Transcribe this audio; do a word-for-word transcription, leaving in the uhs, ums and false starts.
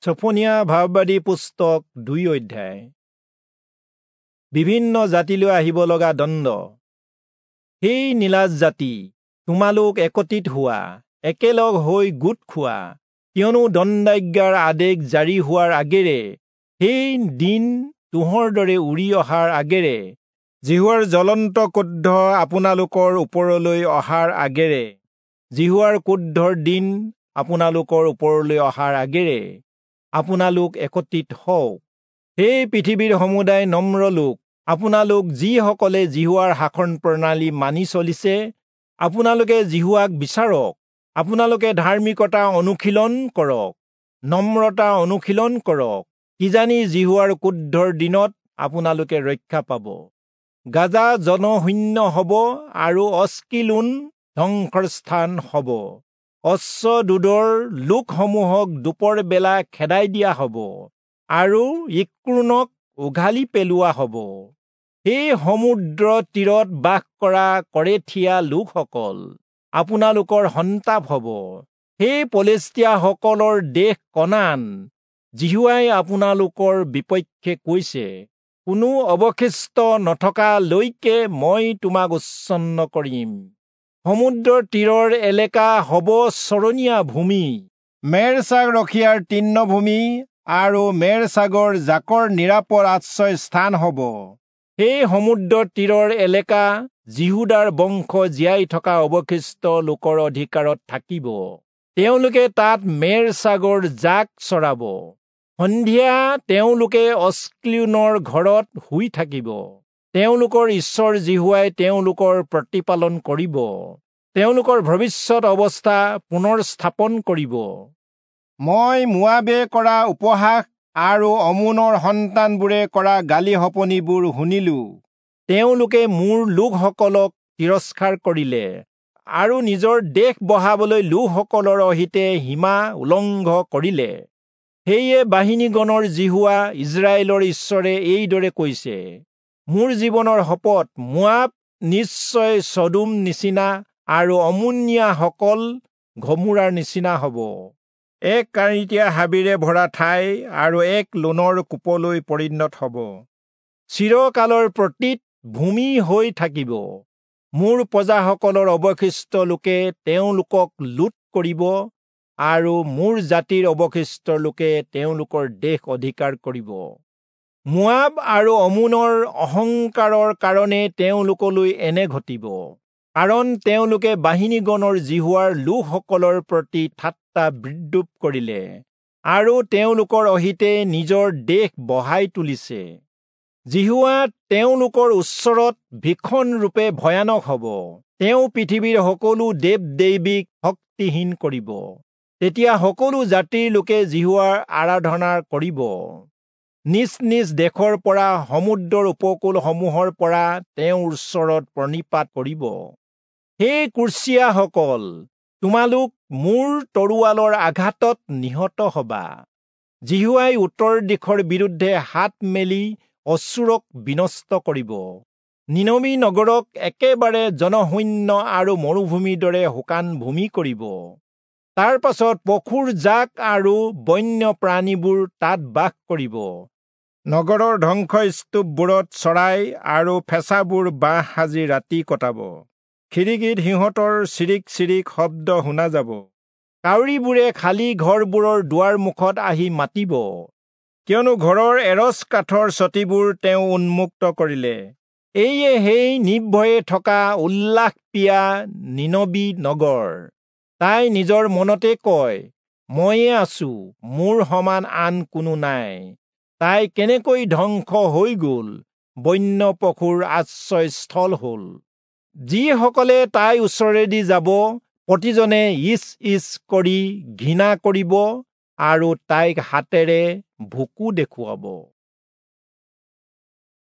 ছফনিয়া ভাববাদী পুস্তক দুই অধ্যায়। বিভিন্ন জাতিলৈ আহিব লগা দণ্ড। সেই নিলাজ জাতি, তোমালোক একত্ৰিত হোৱা, একেলগ হৈ গোট খোৱা, কিয়নো দণ্ডাজ্ঞাৰ আদেশ জাৰি হোৱাৰ আগেৰে, সেই দিন তুঁহৰ দৰে উৰি অহাৰ আগেৰে, যিহোৱাৰ জ্বলন্ত ক্ৰোধ আপোনালোকৰ ওপৰলৈ অহাৰ আগেৰে, যিহোৱাৰ ক্ৰোধৰ দিন আপোনালোকৰ ওপৰলৈ অহাৰ আগেৰে আপোনালোক একত্ৰিত হওক। সেই পৃথিৱীৰ সমুদায় নম্ৰ লোক, আপোনালোক যিসকলে যিহোৱাৰ শাসন প্ৰণালী মানি চলিছে, আপোনালোকে যিহোৱাক বিচাৰক। আপোনালোকে ধাৰ্মিকতা অনুশীলন কৰক, নম্ৰতা অনুশীলন কৰক, কিজানি যিহোৱাৰ ক্ৰোধৰ দিনত আপোনালোকে ৰক্ষা পাব। গাজা জনশূন্য হ'ব আৰু অস্কিলোন ধ্বংসৰ স্থান হ'ব। অশ্বদোদৰ লোকসমূহক দুপৰ বেলা খেদাই দিয়া হ'ব আৰু ইক্ৰোণক উঘালি পেলোৱা হ'ব। সেই সমুদ্ৰ তীৰত বাস কৰা কৰেথীয়া লোকসকল, আপোনালোকৰ সন্তাপ হ'ব। সেই পলেষ্টীয়াসকলৰ দেশ কনান, যিহোৱাই আপোনালোকৰ বিপক্ষে কৈছে, কোনো অৱশিষ্ট নথকালৈকে মই তোমাক উচ্ছন্ন কৰিম। সমুদ্ৰৰ তীৰৰ এলেকা হ'ব চৰণীয়া ভূমি, মেৰ-ছাগ ৰখীয়াৰ তৃণভূমি আৰু মেৰ-ছাগৰ জাকৰ নিৰাপদ আশ্ৰয় স্থান হ'ব। সেই সমুদ্ৰ তীৰৰ এলেকা যিহূদাৰ বংশ জীয়াই থকা অৱশিষ্ট লোকৰ অধিকাৰত থাকিব। তেওঁলোকে তাত মেৰ-ছাগৰ জাক চৰাব। সন্ধিয়া তেওঁলোকে অস্ক্লিয়োনৰ ঘৰত শুই থাকিব। তেওঁলোকৰ ঈশ্বৰ যিহোৱাই তেওঁলোকৰ প্ৰতিপালন কৰিব, তেওঁলোকৰ ভৱিষ্যত অৱস্থা পুনৰ স্থাপন কৰিব। মই মোৱাবে কৰা উপহাস আৰু অমোনৰ সন্তানবোৰে কৰা গালি শপনিবোৰ শুনিলো। তেওঁলোকে মোৰ লোকসকলক তিৰস্কাৰ কৰিলে আৰু নিজৰ দেশ বঢ়াবলৈ লোকসকলৰ অহিতে সীমা উলংঘ কৰিলে। সেয়ে বাহিনীগণৰ যিহোৱা ইস্ৰায়েলৰ ঈশ্বৰে এইদৰে কৈছে, মোৰ জীৱনৰ শপত, মোৱাব নিশ্চয় চদোম নিচিনা আৰু অমোনীয়াসকল গমোৰাৰ নিচিনা হ'ব, এক কাঁইটীয়া হাবিৰে ভৰা ঠাই আৰু এক লোণৰ কূপলৈ পৰিণত হ'ব, চিৰকালৰ পতিত ভূমি হৈ থাকিব। মোৰ প্ৰজাসকলৰ অৱশিষ্ট লোকে তেওঁলোকক লুট কৰিব আৰু মোৰ জাতিৰ অৱশিষ্ট লোকে তেওঁলোকৰ দেশ অধিকাৰ কৰিব। মোৱাব আৰু অমোনৰ অহংকাৰৰ কাৰণে তেওঁলোকলৈ এনে ঘটিব, কাৰণ তেওঁলোকে বাহিনীগণৰ যিহোৱাৰ লোকসকলৰ প্ৰতি ঠাট্টা বিদ্ৰূপ কৰিলে আৰু তেওঁলোকৰ অহিতে নিজৰ দেশ বঢ়াই তুলিছে। যিহোৱা তেওঁলোকৰ ওচৰত ভীষণৰূপে ভয়ানক হ'ব। তেওঁ পৃথিৱীৰ সকলো দেৱ দেৱীক শক্তিহীন কৰিব। তেতিয়া সকলো জাতিৰ লোকে যিহোৱাৰ আৰাধনা কৰিব। নিজ নিজ দেশৰ পৰা, সমুদ্ৰৰ উপকূলসমূহৰ পৰা তেওঁৰ ওচৰত প্ৰণিপাত কৰিব। সেই কুৰ্চীয়াসকল, তোমালোক মোৰ তৰোৱালৰ আঘাতত নিহত হবা। যিহোৱাই উত্তৰ দিশৰ বিৰুদ্ধে হাত মেলি অচূৰক বিনষ্ট কৰিব। নীনবী নগৰক একেবাৰে জনশূন্য আৰু মৰুভূমিৰ দৰে শুকান ভূমি কৰিব। তাৰ পাছত পশুৰ জাক আৰু বন্য প্ৰাণীবোৰ তাত বাস কৰিব। নগৰৰ ধ্বংসস্তূপবোৰত চৰাই আৰু ফেঁচাবোৰ বাহ সাজি ৰাতি কটাব। খিৰিকীত সিহঁতৰ চিৰিক চিৰিক শব্দ শুনা যাব। কাউৰীবোৰে খালী ঘৰবোৰৰ দুৱাৰ মুখত আহি মাতিব, কিয়নো ঘৰৰ এৰচ কাঠৰ চটিবোৰ তেওঁ উন্মুক্ত কৰিলে। এইয়ে সেই নিৰ্ভয়ে থকা উল্লাসপ্ৰিয়া নীনবী নগৰ। তাই নিজৰ মনতে কয়, ময়ে আছো, মোৰ সমান আন কোনো নাই। তাই কেনেকৈ ধ্বংস হৈ গ'ল, বন্য পশুৰ আশ্ৰয়স্থল হ'ল। যিসকলে তাইৰ ওচৰেদি যাব, প্ৰতিজনে ইচ ইচ কৰি ঘৃণা কৰিব আৰু তাইক হাতেৰে ভুকু দেখুৱাব।